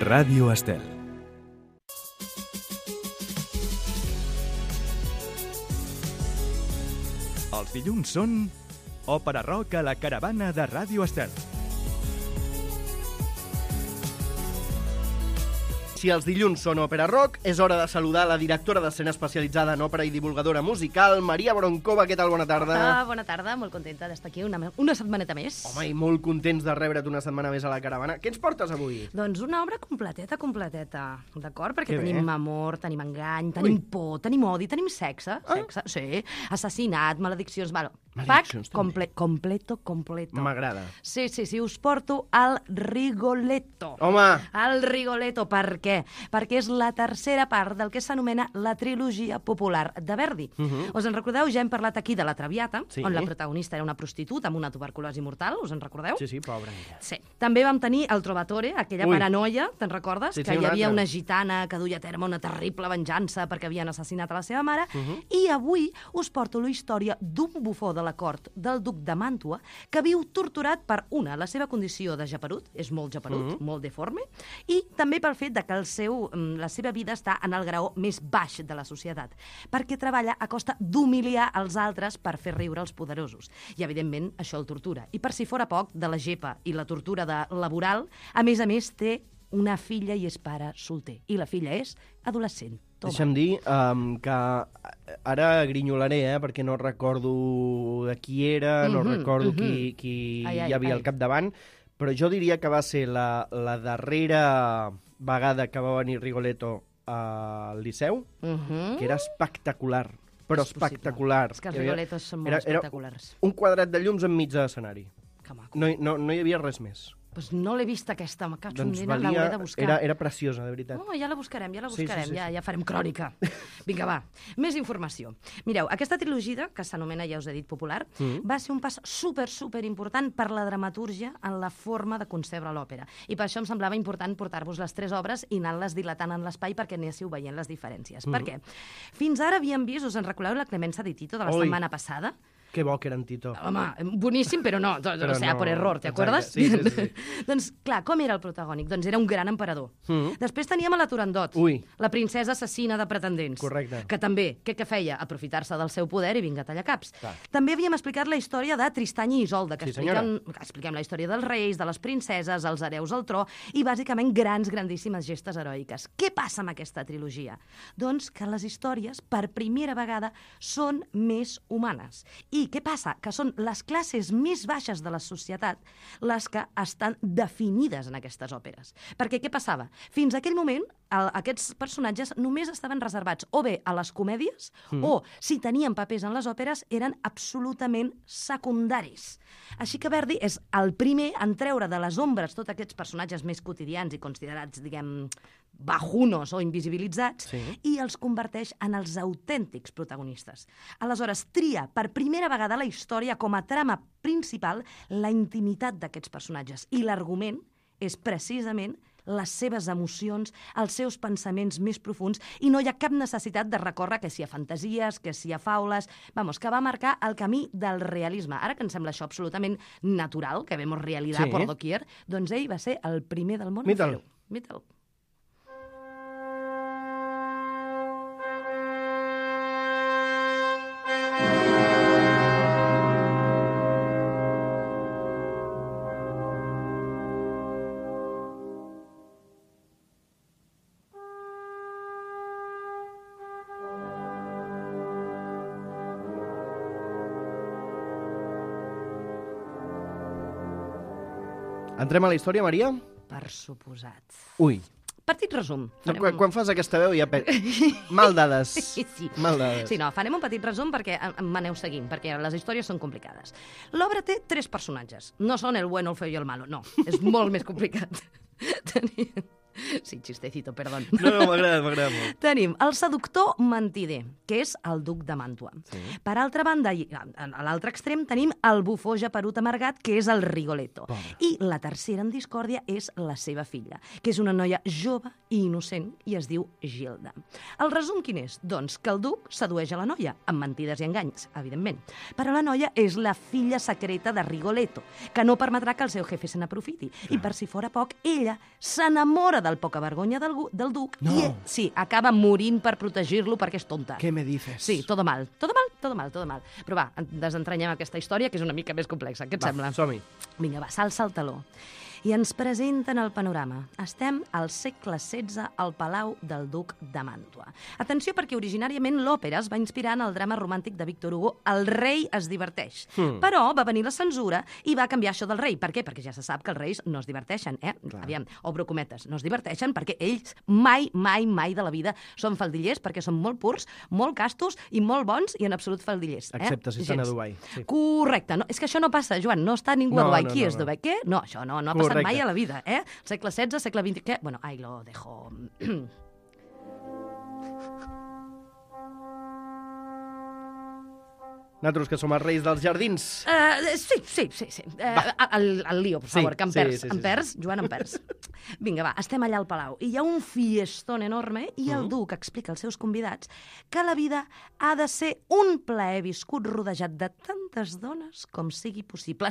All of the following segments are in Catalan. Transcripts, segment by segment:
Ràdio Estel. Els dilluns són Òpera Rock a la caravana de Ràdio Estel. Si els dilluns són Òpera Rock, és hora de saludar la directora d'escena especialitzada en òpera i divulgadora musical, Maria Bronkova. Què tal? Bona tarda. Bona tarda, molt contenta d'estar aquí una setmaneta més. Home, i molt contents de rebre't una setmana més a la caravana. Què ens portes avui? Doncs una obra completeta, d'acord? Perquè Que bé. tenim amor, tenim engany, tenim por, tenim odi, tenim sexe, sí, assassinat, malediccions, bueno, Malediccions, pack completo. M'agrada. Sí, us porto al Rigoletto. Home! El Rigoletto, per què? Perquè és la tercera part del que s'anomena la trilogia popular de Verdi. Us en recordeu? Ja hem parlat aquí de la Traviata, Sí. on la protagonista era una prostituta amb una tuberculosi mortal, us en recordeu? Sí, pobra ella. Sí. També vam tenir el Trovatore, aquella paranoia, te'n recordes? Sí, Que hi una havia altra. una gitana que duia a terme una terrible venjança perquè havien assassinat a la seva mare. I avui us porto la història d'un bufó de la cort del duc de Màntua que viu torturat per, la seva condició de geperut, és molt geperut, molt deforme, i també pel fet de que la seva vida està en el graó més baix de la societat, perquè treballa a costa d'humiliar els altres per fer riure els poderosos. I, evidentment, això el tortura. I per si fora poc, de la gepa i la tortura laboral, a més, té una filla i és pare solter. I la filla és adolescent. Toma. Deixa'm dir que ara grinyolaré, perquè no recordo de qui era, no recordo qui hi havia al capdavant, però jo diria que va ser la darrera vegada que va venir Rigoletto al Liceu, que era espectacular, però És possible. espectacular. És que els Rigolettos són molt espectaculars. Un quadrat de llums enmig de l'escenari. Que maco. No hi havia res més. Pues no l'he vista aquesta, Doncs l'hauré de buscar. era preciosa, de veritat. Ja la buscarem, Sí. ja farem crònica. Vinga, va, més informació. Mireu, aquesta trilogia, que s'anomena, ja us he dit, popular, va ser un pas super important per la dramatúrgia en la forma de concebre l'òpera. I per això em semblava important portar-vos les 3 obres i anar-les dilatant en l'espai perquè anéssiu veient les diferències. Per què? Fins ara havíem vist, us en recordeu, la Clemenza di Tito de la setmana passada? Que bo que era en Tito. Home, boníssim, però no, o sea, por error, ¿te acuerdas? Sí. Doncs, clar, com era el protagònic? Doncs era un gran emperador. Després teníem a la Turandot, la princesa assassina de pretendents. Correcte. Que també, què feia? Aprofitar-se del seu poder i vinga, tallacaps. Clar. També havíem explicat la història de Tristany i Isolda, que Sí, senyora. expliquem la història dels reis, de les princeses, els hereus al tro, i bàsicament grandíssimes gestes heroiques. Què passa amb aquesta trilogia? Doncs que les històries, per primera vegada, són més humanes. I què passa? Que són les classes més baixes de la societat les que estan definides en aquestes òperes. Perquè què passava? Fins a aquell moment, aquests personatges només estaven reservats o bé a les comèdies o, si tenien papers en les òperes, eren absolutament secundaris. Així que Verdi és el primer en treure de les ombres tots aquests personatges més quotidians i considerats, diguem, bajunos o invisibilitzats, i els converteix en els autèntics protagonistes. Aleshores, tria per primera vegada a la història com a trama principal la intimitat d'aquests personatges. I l'argument és precisament les seves emocions, els seus pensaments més profuns, i no hi ha cap necessitat de recórrer que si a fantasies, que si a faules... Vamos, que va marcar el camí del realisme. Ara que ens sembla això absolutament natural, que vemos realidad por doquier, doncs ell va ser el primer del món a fer-ho. Mita'l. Entrem a la història, Maria? Per suposat. Ui. Petit resum. Quan fas aquesta veu ja... Mal dades. Sí. Mal dades. Sí, no, farem un petit resum perquè m'aneu seguint, perquè les històries són complicades. L'obra té 3 personatges. No són el bueno, el feo i el malo, no. És molt més complicat. Sí, chistecito, perdón. No, m'agrada molt. Tenim el seductor mentider, que és el duc de Màntua. Per altra banda, a l'altre extrem, tenim el bufó geperut amargat, que és el Rigoletto. I la tercera en discòrdia és la seva filla, que és una noia jove i innocent, i es diu Gilda. El resum quin és? Doncs que el duc sedueix a la noia, amb mentides i enganys, evidentment. Però la noia és la filla secreta de Rigoletto, que no permetrà que el seu jefe se n'aprofiti. I per si fora poc, ella s'enamora del poca vergonya del duc No. i, sí, acaba morint per protegir-lo perquè és tonta. Què me dices? Sí, todo mal. Però va, desentranyem aquesta història, que és una mica més complexa. Què et sembla? Som-hi. Vinga, va, s'alça el taló. I ens presenten el panorama. Estem al segle XVI al Palau del Duc de Màntua. Atenció, perquè originàriament l'òpera es va inspirar en el drama romàntic de Víctor Hugo, El rei es diverteix. Però va venir la censura i va canviar això del rei. Per què? Perquè ja se sap que els reis no es diverteixen, Aviam, obro cometes, no es diverteixen perquè ells mai de la vida són faldillers, perquè són molt purs, molt castos i molt bons i en absolut faldillers. Excepte si estan a Dubai. Sí. Correcte. No, és que això no passa, Joan, no està ningú a Dubai. Qui és Dubai? Què? No, això no ha passat mai a la vida, Segle XVI, segle XX... Què? Bueno, ahí lo dejo. Nosaltres, que som els reis dels jardins. Sí. El lío, per favor, que em perds, Joan, em perds. Vinga, va, estem allà al Palau i hi ha un fiestón enorme i el duc explica als seus convidats que la vida ha de ser un plaer viscut rodejat de tantes dones com sigui possible.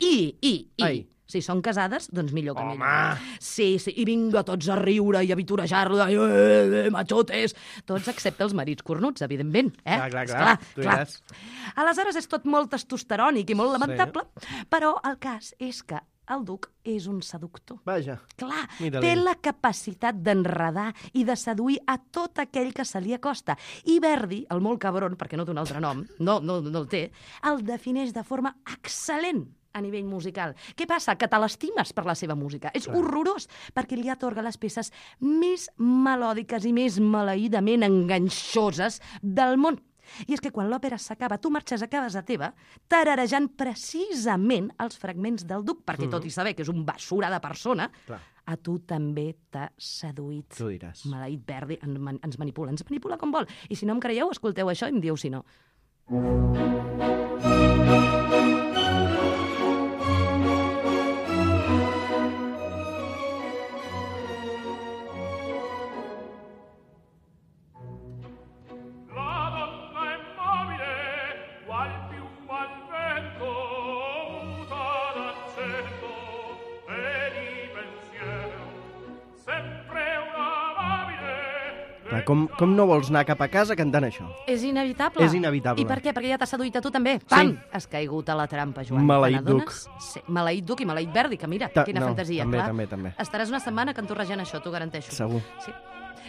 I si són casades, doncs millor que millor. Sí, i vinga tots a riure i a vitorejar-lo, machotes, tots excepte els marits cornuts, evidentment. Clar. Aleshores és tot molt testosterònic i molt lamentable, però el cas és que el duc és un seductor. Vaja. Clar, té la capacitat d'enredar i de seduir a tot aquell que se li acosta. I Verdi, el molt cabron, perquè no té un altre nom, no el té, el defineix de forma excel·lent a nivell musical. Què passa? Que te l'estimes per la seva música. És horrorós, perquè li atorga les peces més melòdiques i més maleïdament enganxoses del món. I és que quan l'òpera s'acaba, tu marxes a casa teva tararejant precisament els fragments del duc, perquè tot i saber que és un basura de persona, a tu també t'ha seduït. Tu diràs. Maleït Verdi, ens manipula com vol. I si no em creieu, escolteu això i em dieu si no. Com no vols anar cap a casa cantant això? És inevitable. És inevitable. I per què? Perquè ja t'ha seduït a tu també. Pam! Sí. Has caigut a la trampa, Joan. Maleït duc. Sí, maleït duc i maleït Verdi, que mira, quina fantasia. També. Estaràs una setmana cantorrejant això, t'ho garanteixo. Segur. Sí.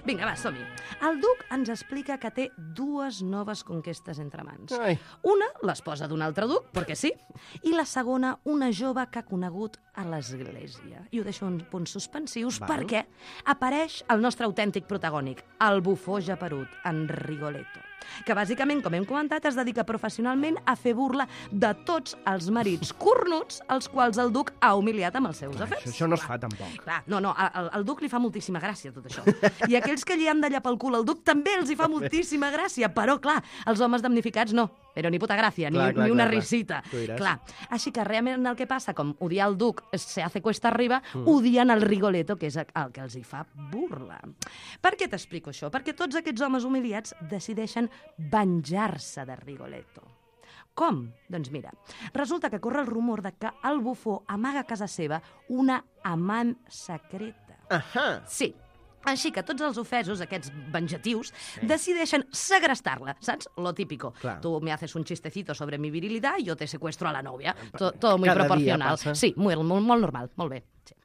Vinga, va, som-hi. El duc ens explica que té dues noves conquestes entre mans. Una, l'esposa d'un altre duc, perquè sí, i la segona, una jove que ha conegut a l'església. I ho deixo en punts suspensius perquè apareix el nostre autèntic protagònic, el bufó japerut, en Rigoletto, que bàsicament, com hem comentat, es dedica professionalment a fer burla de tots els marits cornuts als quals el duc ha humiliat amb els seus afers. Això no es fa tampoc. Clar, al duc li fa moltíssima gràcia tot això. I aquells que li han d'allà pel cul al duc també els hi fa moltíssima gràcia, però clar, els homes damnificats no, però ni puta gràcia, ni una risita. Clar, així que realment el que passa, com odiar el duc se hace cuesta arriba, odien el Rigoletto, que és el que els hi fa burla. Per què t'explico això? Perquè tots aquests homes humiliats decideixen venjar-se de Rigoletto. Com? Doncs mira, resulta que corre el rumor de que el bufó amaga a casa seva una amant secreta. Sí. Així que tots els ofesos, aquests venjatius, decideixen segrestar-la, saps? Lo típico. Tu me haces un chistecito sobre mi virilidad y yo te secuestro a la novia. Todo muy proporcional. Sí, molt normal, molt bé. Sí.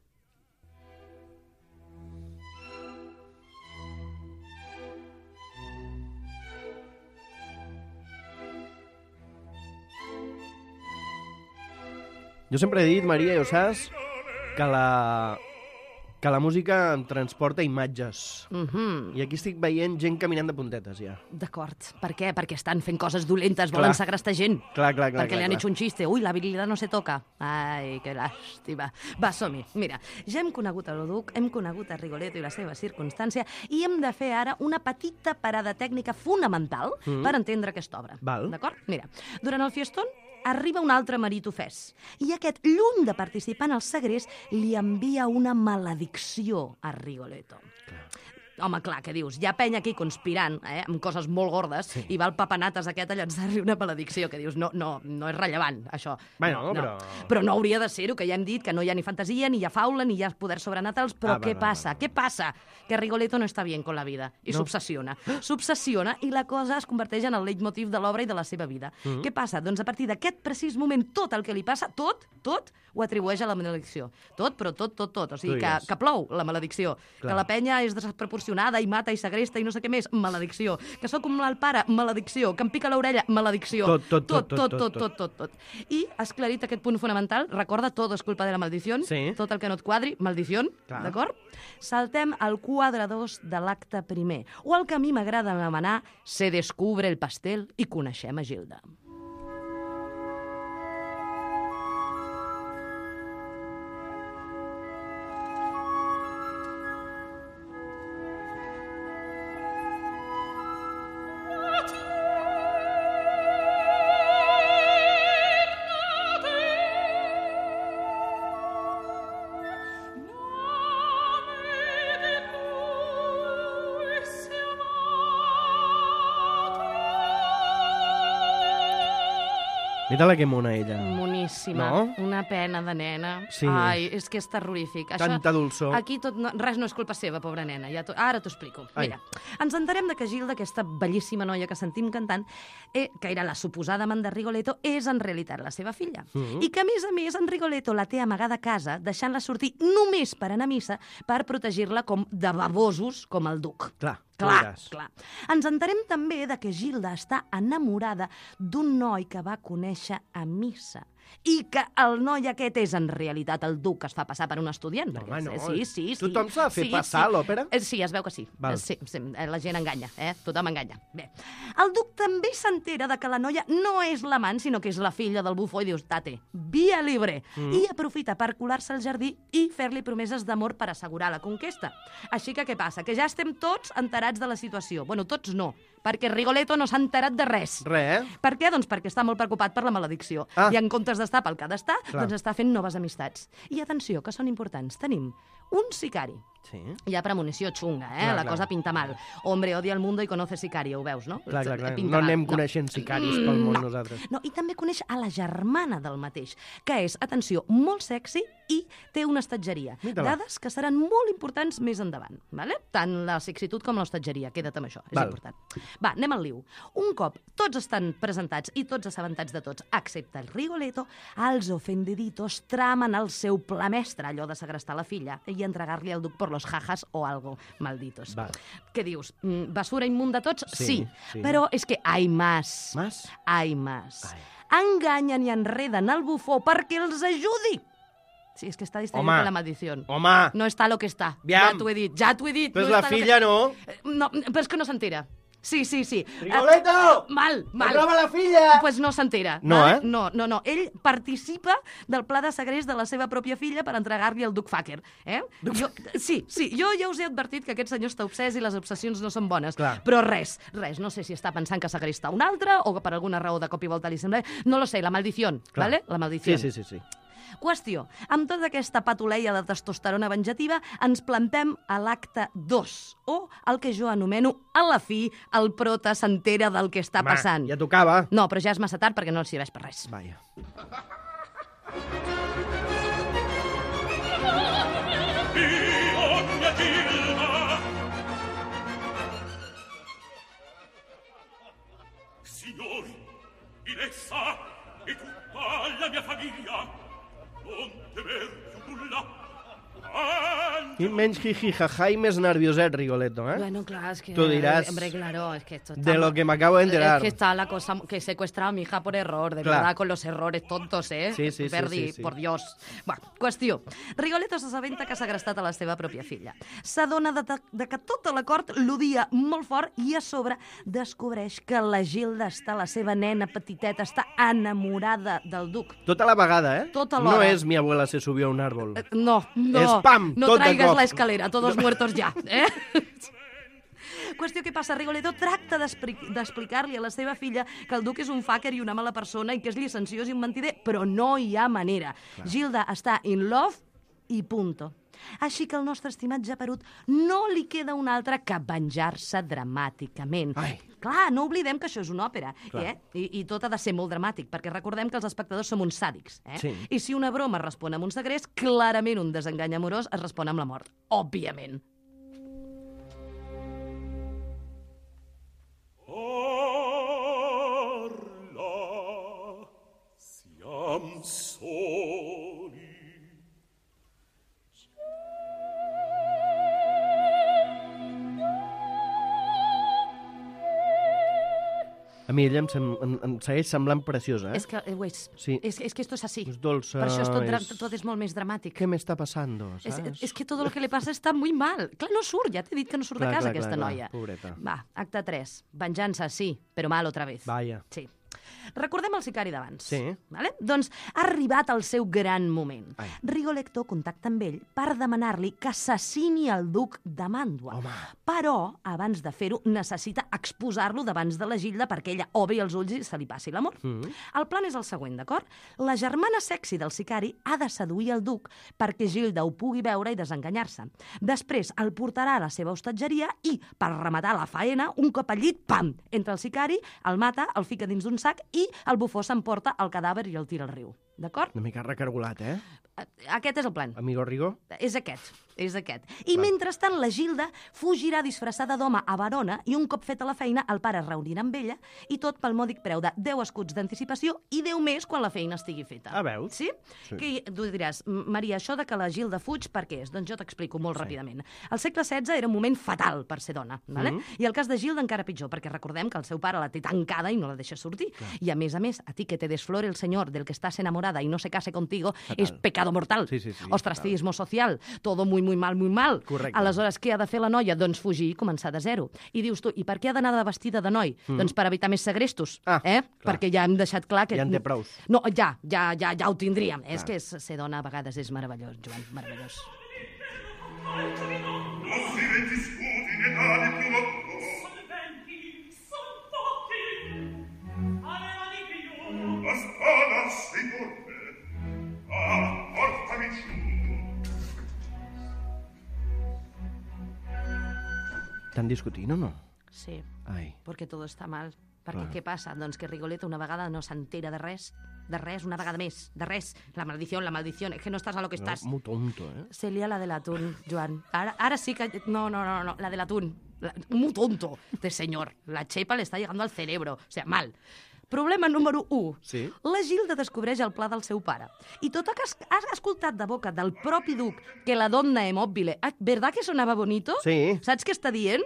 Jo sempre he dit, Maria, ja ho saps, que la música em transporta imatges. I aquí estic veient gent caminant de puntetes, ja. D'acord. Per què? Perquè estan fent coses dolentes, volen segrestar gent. Clar. Perquè li han hecho un chiste. Ui, la virilidad no se toca. Ai, que làstima. Va, som-hi. Mira, ja hem conegut el duc, hem conegut a Rigoletto i la seva circumstància, i hem de fer ara una petita parada tècnica fonamental per entendre aquesta obra. D'acord? Mira, durant el fiestón arriba un altre marit ofès, i aquest, lluny de participar en el segrest, li envia una maledicció a Rigoletto. Home, clar, què dius? Hi ha penya aquí conspirant, amb coses molt gordes, i va el papanates aquest a llançar-li una maledicció, que dius, no és rellevant, això. Bueno, però no hauria de ser-ho, que ja hem dit que no hi ha ni fantasia, ni hi ha faula, ni hi ha poders sobrenatals, però què passa? Què passa? Que Rigoletto no està bien con la vida, i s'obsessiona. S'obsessiona i la cosa es converteix en el leitmotiv de l'obra i de la seva vida. Què passa? Doncs a partir d'aquest precís moment, tot el que li passa, tot, ho atribueix a la maledicció. Tot, però tot. O sigui, que plou la maledicció. Que la penya és desproporcionada i mata i segresta i no sé què més, maledicció. Que sóc com el pare, maledicció. Que em pica l'orella, maledicció. Tot. I, esclarit aquest punt fonamental, recorda, tot és culpa de la maldició. Tot el que no et quadri, maldició. D'acord? Saltem al quadre 2 de l'acte primer, o el que a mi m'agrada anomenar Se descubre el pastel i coneixem a Gilda. Mira-la que mona, ella. Moníssima. No? Una pena de nena. Sí. Ai, és que és terrorífic. Tanta dolçor. Aquí res no és culpa seva, pobra nena. Ara t'ho explico. Mira, ens enterem que Gilda, aquesta bellíssima noia que sentim cantant, que era la suposada amant de Rigoletto, és en realitat la seva filla. I que, a més, en Rigoletto la té amagada a casa, deixant-la sortir només per anar a missa per protegir-la de babosos com el duc. Clar. Ens enterem també que Gilda està enamorada d'un noi que va conèixer a missa i que el noi aquest és en realitat el duc que es fa passar per un estudiant. Home, no. Sí. Tothom s'ha de fer passar a l'òpera? Sí, es veu que sí. Sí, la gent enganya, tothom enganya. Bé, el duc també s'entera que la noia no és l'amant, sinó que és la filla del bufó i dius, tate, via libre. I aprofita per colar-se al jardí i fer-li promeses d'amor per assegurar la conquesta. Així que què passa? Que ja estem tots enterats de la situació. Bueno, tots no, perquè Rigoletto no s'ha enterat de res. Per què? Doncs perquè està molt preocupat per la maledicció. I en comptes d'estar pel que ha d'estar, doncs està fent noves amistats. I atenció, que són importants. Tenim un sicari. Ja premonició xunga, la cosa pinta mal. Hombre odia el mundo i conoce sicario, ho veus, no? Clar. No anem coneixent sicaris pel món nosaltres. No, i també coneix a la germana del mateix, que és, atenció, molt sexy i té una estatgeria. Dades que seran molt importants més endavant, vale? Tant la sexitud com l'estatgeria, queda't amb això, és important. Va, anem al liu. Un cop tots estan presentats i tots assabentats de tots, excepte el Rigoletto, els ofendiditos tramen el seu pla mestre, allò de segrestar la filla i entregar-li al duc por los jajas o algo, malditos. Què dius? Basura immunda tots? Sí. Però és que hay más. Hay más. Enganyen i enreden el bufó perquè els ajudi. Sí, és que està distraient con la maldició. No està lo que està. Ja t'ho he dit. Però és la filla, no? No, però és que no s'entera. Sí. Rigoletto! Mal. Troba la filla! Pues no s'entera. No, No. Ell participa del pla de segrest de la seva pròpia filla per entregar-li el duc Fàquer. Jo ja us he advertit que aquest senyor està obsès i les obsessions no són bones. Però res. No sé si està pensant que segresta un altre o que per alguna raó de cop i volta li sembla... No lo sé, la maldició, ¿vale? La maldició. Sí. Qüestió. Amb tota aquesta patuleia de testosterona venjativa ens plantem a l'acte 2, o el que jo anomeno, a la fi, el prota s'entera del que està passant. Ja tocava. No, però ja és massa tard perquè no el serveix per res. Vaja. Signori, Inessa e tutta la mia famiglia, non temer più nulla. I menys jiji-jaja i més nervioset, Rigoletto, Bueno, clar, es que... Tú dirás, hombre, claro, es que esto está... de lo que me acabo de enterar. Es que está la cosa que he secuestrado a mi hija por error, de verdad, con los errores tontos, Sí. Verdi, por Dios. Bueno, qüestió. Rigoletto s'assabenta que s'ha segrestat a la seva pròpia filla. S'adona de que tota la cort l'odia molt fort i a sobre descobreix que la Gilda la seva nena petiteta, està enamorada del duc. Tota la vegada, Tota l'hora. No és mi abuela se subió a un árbol. No. És pam, no tot de traigas cop. la escalera, todos muertos ya, Qüestió que passa, Rigoletto tracta d'explicar-li a la seva filla que el duc és un fàquer i una mala persona i que és llicenciós i un mentider, però no hi ha manera. Gilda està in love i punto. Així que al nostre estimat geperut no li queda un altre que venjar-se dramàticament. Clar, no oblidem que això és una òpera, i tot ha de ser molt dramàtic, perquè recordem que els espectadors som uns sàdics, I si una broma respon amb un segrest, clarament un desengany amorós es respon amb la mort, òbviament. Parla, siam soli. A mi ella em segueix semblant preciosa, És que, ho és. Sí. És que esto es así. És dolça, Per això tot és molt més dramàtic. Què m'està passando, saps? És que tot el que li passa està muy mal. Clar, no surt, ja t'he dit que no surt de casa aquesta noia. Pobreta. Va, acte 3. Venjança, sí, però mal otra vez. Vaya. Sí. Recordem el sicari d'abans. Sí. Vale? Doncs ha arribat el seu gran moment. Rigoletto contacta amb ell per demanar-li que assassini el duc de Màntua. Home. Però, abans de fer-ho, necessita exposar-lo davant de la Gilda perquè ella obri els ulls i se li passi l'amor. El plan és el següent, d'acord? La germana sexy del sicari ha de seduir el duc perquè Gilda ho pugui veure i desenganyar-se. Després el portarà a la seva hostatgeria i, per rematar la faena, un cop al llit, pam! Entra el sicari, el mata, el fica dins d'un sac i el bufó s'emporta el cadàver i el tira al riu. D'acord? Una mica recargolat, Aquest és el plan. Amigo Rigo? És aquest. I mentrestant la Gilda fugirà disfressada d'home a Verona i un cop feta la feina el pare es reunirà amb ella i tot pel mòdic preu de 10 escuts d'anticipació i 10 més quan la feina estigui feta. Veus? Sí? Que tu diràs, Maria, això de que la Gilda fuig per què és? Doncs jo t'explico molt ràpidament. El segle XVI era un moment fatal per ser dona, ¿vale? I el cas de Gilda encara pitjor, perquè recordem que el seu pare la té tancada i no la deixa sortir. I a més, a ti que te desflore el senyor del que estàs enamorada i no se case contigo és pecado mortal. Ostracismo social, todo muy, muy mal, muy mal. Correcte. Aleshores, què ha de fer la noia? Doncs fugir i començar de zero. I dius tu, i per què ha d'anar de vestida de noi? Doncs per evitar més segrestos, perquè ja hem deixat clar que... Ja en té prous. No, ja ho tindríem. És que ser dona a vegades és meravellós, Joan, meravellós. La spada sei por me. Portami giù. Estan discutint o no? Sí, Ai. perquè tot està mal. Perquè què passa? Doncs que Rigoletto una vegada no s'entera de res, una vegada més, de res. La maldició, es que no estàs a lo que estàs. Muy tonto, Se lía la del atún, Joan. Ara sí que... No, la del atún. Muy tonto, este señor. La chepa le está llegando al cerebro. O sea, mal. Problema número 1. Sí? La Gilda descobreix el pla del seu pare. I tot que has escoltat de boca del propi duc que la donna è mobile, ¿verdad que sonava bonito? Sí. Saps què està dient?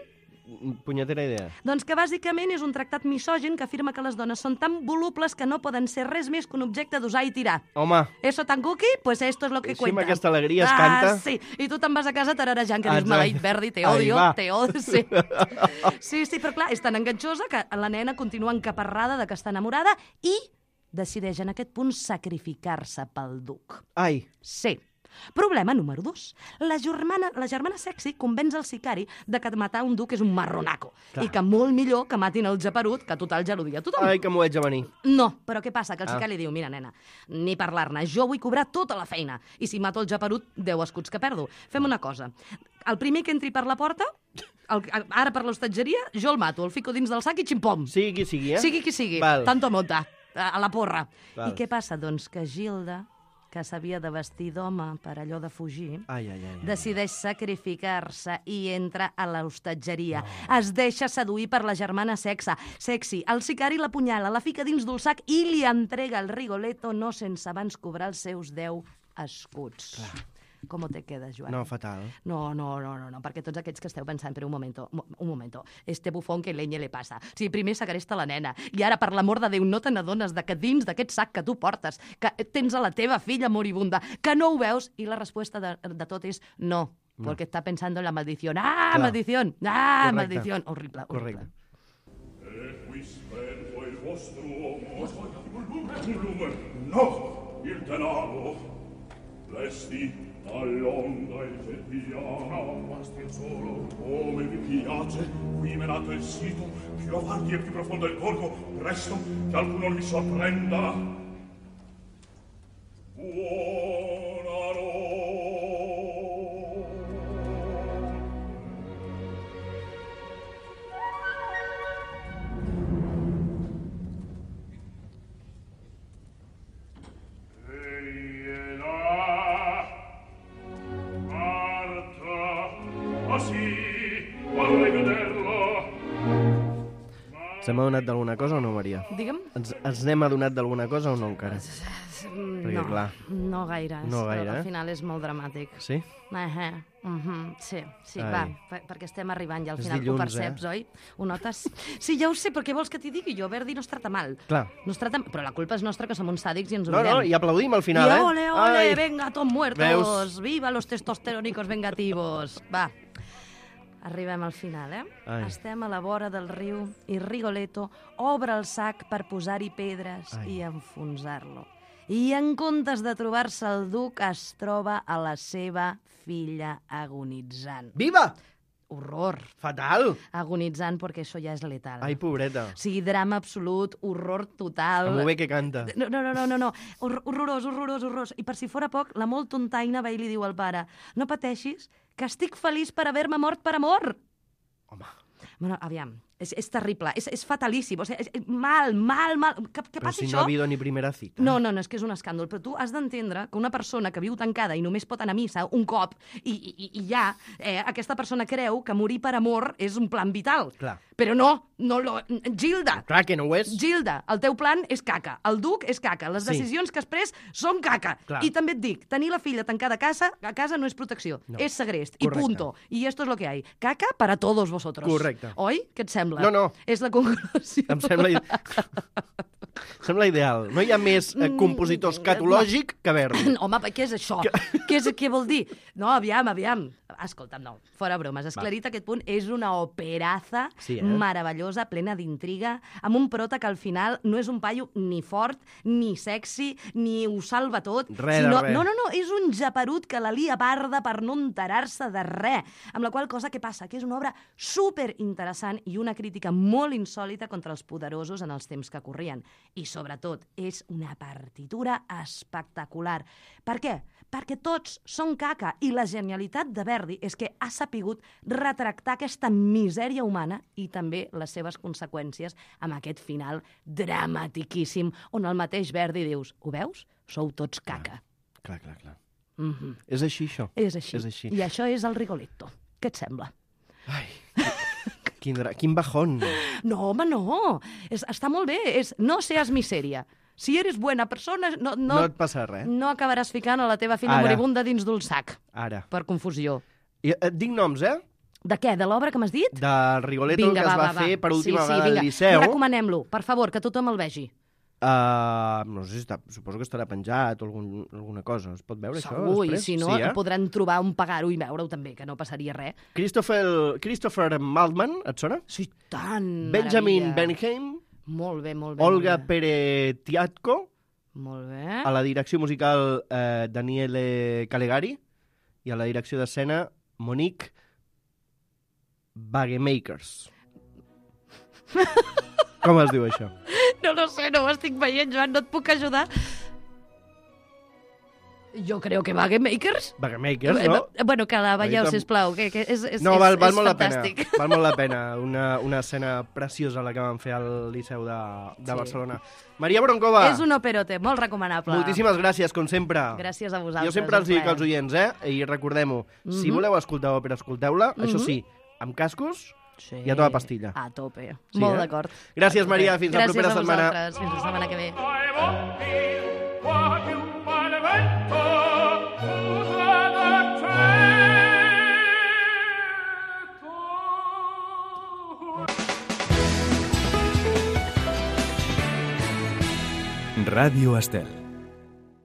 Punyetera idea. Doncs que bàsicament és un tractat misògin que afirma que les dones són tan volubles que no poden ser res més que un objecte d'usar i tirar. Home. Eso tan cookie? Pues esto es lo que cuenta. Sí, amb aquesta alegria es canta. Sí, i tu te'n vas a casa tararejant que dius, maleït Verdi, te odio. Sí. Sí, però clar, és tan enganxosa que la nena continua encaparrada de que està enamorada i decideix en aquest punt sacrificar-se pel duc. Ai. Sí. Problema número 2. La germana sexy convenç el sicari de que matar un duc és un marronaco. Clar. I que molt millor que matin el geperut, que total ja l'odia tothom. Ai, que m'ho haig de venir. No, però què passa? Que el sicari li diu, mira, nena, ni parlar-ne, jo vull cobrar tota la feina. I si mato el geperut, 10 escuts que perdo. Fem una cosa. El primer que entri per la porta, ara per l'hostatgeria, jo el mato, el fico dins del sac i ximpom. Sigui qui sigui, Sigui qui sigui. Val. Tanto monta. A la porra. Val. I què passa? Doncs que Gilda, que s'havia de vestir d'home per allò de fugir, decideix sacrificar-se i entra a l'hostatgeria. Es deixa seduir per la germana sexy. El sicari l'apunyala, la fica dins d'un sac i li entrega el Rigoletto no sense abans cobrar els seus 10 escuts. Clar. Com te quedes, Joan? No, fatal. No, perquè tots aquests que esteu pensant, però un momento, este bufón que leñe le passa. O sigui, primer segresta la nena, i ara, per l'amor de Déu, no te n'adones de que dins d'aquest sac que tu portes, que tens a la teva filla moribunda, que no ho veus, i la resposta de tot és no, perquè està pensant en la maldició. Maldición! Maldición! Horrible. Correcte. No, il denaro. Resti all'onda il gentiano, basti il solo, come vi piace, qui menato il sito, più avanti e più profondo il corpo, presto, che alcuno mi sorprenda. Buona notte. Ens hem adonat d'alguna cosa o no, Maria? Digue'm. Ens n'hem adonat d'alguna cosa o no encara? Perquè, clar... No gaire. No gaire, Al final és molt dramàtic. Sí? Sí, va, perquè estem arribant ja al final, dilluns, ho perceps, oi? Ho notes? Sí, ja ho sé, però què vols que t'hi digui jo? Verdi no es trata mal. Clar. No es trata... Però la culpa és nostra, que som uns sàdics i ens ho No, mirem. i aplaudim al final, I ole, venga, todos muertos, Veus? viva los testosterónicos vengativos. Va, arribem al final, Ai. Estem a la vora del riu i Rigoletto obre el sac per posar-hi pedres Ai. i enfonsar-lo. I en comptes de trobar-se el duc, es troba a la seva filla agonitzant. Viva! Horror. Fatal! Agonitzant perquè això ja és letal. Ai, pobreta. O sigui, drama absolut, horror total. Molt bé que canta. No. Horrorós. I per si fora poc, la molt tontaina va i li diu al pare: no pateixis, que estic feliç per haver-me mort per amor. Home. Bueno, aviam, és terrible, és fatalíssim, o sigui, és mal. Que Però passi si això... no ha habido ni primera cita. No, és que és un escàndol, però tu has d'entendre que una persona que viu tancada i només pot anar a missa un cop i ja, aquesta persona creu que morir per amor és un plan vital. Clar. Però no, Gilda! Clar que no ho és. Gilda, el teu plan és caca, el duc és caca, les Sí. decisions que has pres són caca. Clar. I també et dic, tenir la filla tancada a casa no és protecció, No. és segrest, Correcte. i punto. I esto es lo que hay. Caca para todos vosotros. Correcte. Oi? Què et sembla? No. És la conclusió. Em sembla ideal. No hi ha més compositor escatològic que Verdi. Home, què és això? Què vol dir? No, aviam. Escolta'm, no, fora bromes. Esclarit aquest punt, és una operaza meravellosa, plena d'intriga, amb un prota que al final no és un paio ni fort, ni sexy, ni ho salva tot. Res de res. No, és un japerut que la lia parda per no enterar-se de res. Amb la qual cosa, què passa? Que és una obra superinteressant i una crítica molt insòlita contra els poderosos en els temps que corrien. I, sobretot, és una partitura espectacular. Per què? Perquè tots són caca i la genialitat de Verdi és que ha sapigut retractar aquesta misèria humana i també les seves conseqüències amb aquest final dramatiquíssim on el mateix Verdi dius: ho veus? Sou tots caca. Clar. És així, això. És així. I això és el Rigoletto. Què et sembla? Ai, quin bajón. No, home, no. Està molt bé. No seas miseria. Si eres buena persona... No et passa res. No acabaràs ficant a la teva filla moribunda dins d'un sac. Ara. Per confusió. I et dic noms, De què? De l'obra que m'has dit? Del Rigoletto, que es va fer per última vegada al Liceu. Recomanem-lo, per favor, que tothom el vegi. No sé si suposo que estarà penjat o alguna cosa. Es pot veure això Segur, després? I si no, podran trobar on pagar-ho i veure-ho també, que no passaria res. Christopher Maltman, et sona? Sí, tant! Benjamin Benheim. Molt bé. Olga Peretiatko. Molt bé. A la direcció musical Daniele Calegari. I a la direcció d'escena Monique Bagemakers. Com es diu això? No sé, no ho estic veient, Joan, no et puc ajudar. Jo creo que Bagemakers. Bagemakers, no? Bueno, que la veieu, sisplau, que és no, val molt fantàstic. La pena. Val molt la pena. Una escena preciosa la que van fer al Liceu de Barcelona. Maria Broncova. És un operote, molt recomanable. Moltíssimes gràcies, com sempre. Gràcies a vosaltres. Jo sempre els dic als oients, I recordem-ho, si voleu escoltar òpera, escolteu-la. Això sí, amb cascos i a tota pastilla. A tope. Molt d'acord. Gràcies, Maria. Fins la propera setmana. Gràcies a vosaltres. Fins la setmana que ve. Radio Estel.